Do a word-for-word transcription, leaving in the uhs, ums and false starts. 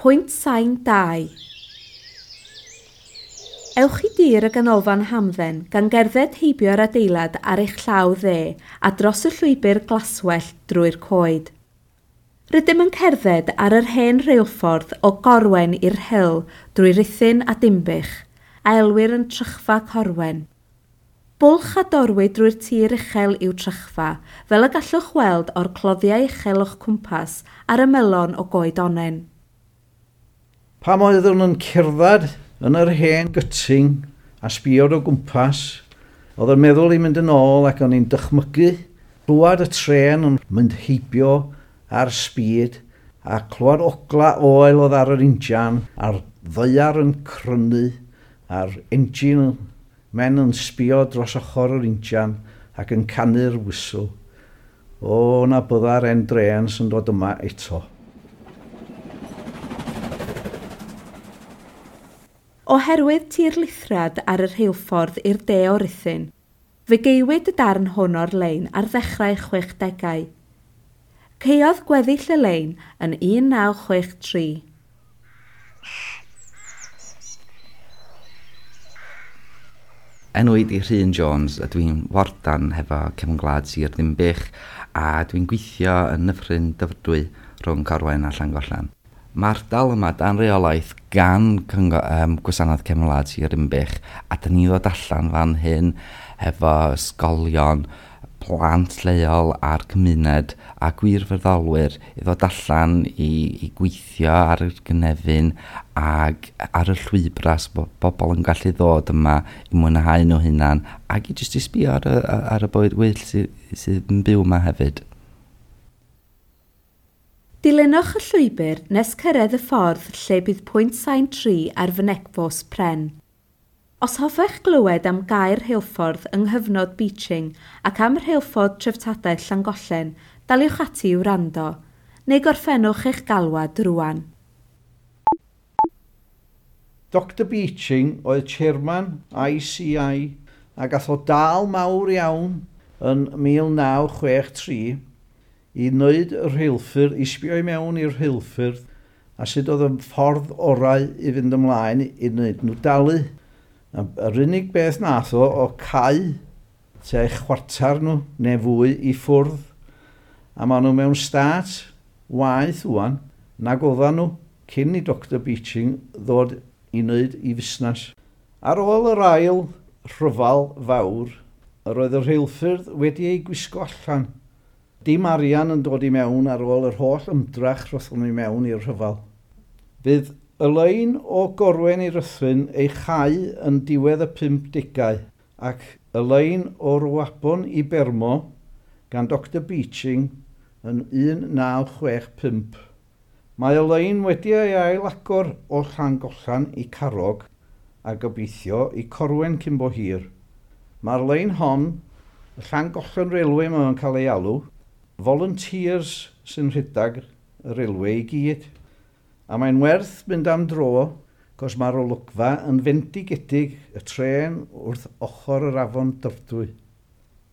Pwynt sain dau. Ewch i dir y ganolfan hamdden gan gerdded heibio'r adeilad ar eich llaw dde a dros y llwybr glaswellt drwy'r coed. Rydym yn cerdded ar yr hen reilffordd o Gorwen i'r Rhyl drwy Ruthun a Dinbych, a elwir yn Trychfa Corwen. Bwlch a dorwyd drwy'r tir uchel yw Trychfa, fel y gallwch weld o'r cloddiau uchel o'ch cwmpas ar ymylon o goed onnen. Pam oeddwn yn cerdded yn yr hen gyting a sbio o gwmpas, oedd yn meddwl i mynd yn ôl ac o'n i'n dychmygu clywed y tren yn mynd heibio ar speed a clywed ogla oel oedd ar yr injan a'r ddaear yn crynu a'r engine men yn sbio dros ochr yr injan ac yn canu'r whistle. O, na bydda'r hen drên sy'n dod yma eto. Oherwydd tirlithriad ar y rheilffordd i'r de o Ruthun, fe gaewyd y darn hwn o'r lein ar ddechrau chwechdegau. Caeodd gweddill y lein yn un naw chwech tri. Enw i 'di Rhun Jones a dwi'n wardan hefo Cefn Gwlad Sir Ddinbych a dwi'n gweithio yn Nyffryn Dyfrdwy rhwng Corwen a Llangollen. Mae'r ardal yma dan reolaeth gan Cyngor, um, Gwasanaeth Cefn Gwlad Sir Ddinbych a dyn ni ddod allan fan hyn hefo ysgolion, plant lleol a'r cymuned a gwirfoddolwyr i ddod allan i, i gweithio ar y gynefin ag ar y llwybrau so bod bobl yn gallu ddod yma i mwynhau nhw hunan ac i jyst i sbio ar y, ar y bywyd gwyllt sydd, sydd yn byw yma hefyd. Dilynwch y llwybr nes cyrraedd y ffordd lle bydd pwynt sain tri ar fynegfos pren. Os hoffech glywed am gaer rheilffordd yng nghyfnod Beeching ac am rheilffordd treftadaeth Llangollen, daliwch ati i wrando, neu gorffennwch eich galwad rŵan. Doctor Beeching oedd chairman I C I a gath o dal mawr iawn yn mil naw chwech tri i wneud y rheilffyrdd, i sbio i mewn i'r rheilffyrdd a sut oedd y ffordd orau i fynd ymlaen i wneud nhw dalu. A yr unig beth nath o, o cau tua chwarter nhw neu fwy i ffwrdd. A maen nhw mewn stât waeth ŵan nag oedden nhw cyn i Doctor Beeching ddod i wneud i fusnes. Ar ôl yr ail rhyfel fawr, yr oedd y rheilffyrdd wedi ei gwisgo allan. Dim arian yn dod i mewn ar ôl yr holl ymdrach rothon nhw i mewn i'r rhyfel. Fydd y lein o Gorwen i Ruthun ei chau yn diwedd y pumdegau ac y lein o Ruabon i Bermo gan Doctor Beeching yn un naw chwech pump. Mae y lein wedi ei ailagor o Llangollen i Carrog a gobeithio i Corwen cyn bo hir. Mae'r lein hon, y Llangollen Railway mae'n cael ei alw, volunteers sy'n rhedeg y railway i gyd. A mae'n werth mynd am dro, cos mae'r olygfa yn fendigedig y trên wrth ochr yr afon Dyfrdwy.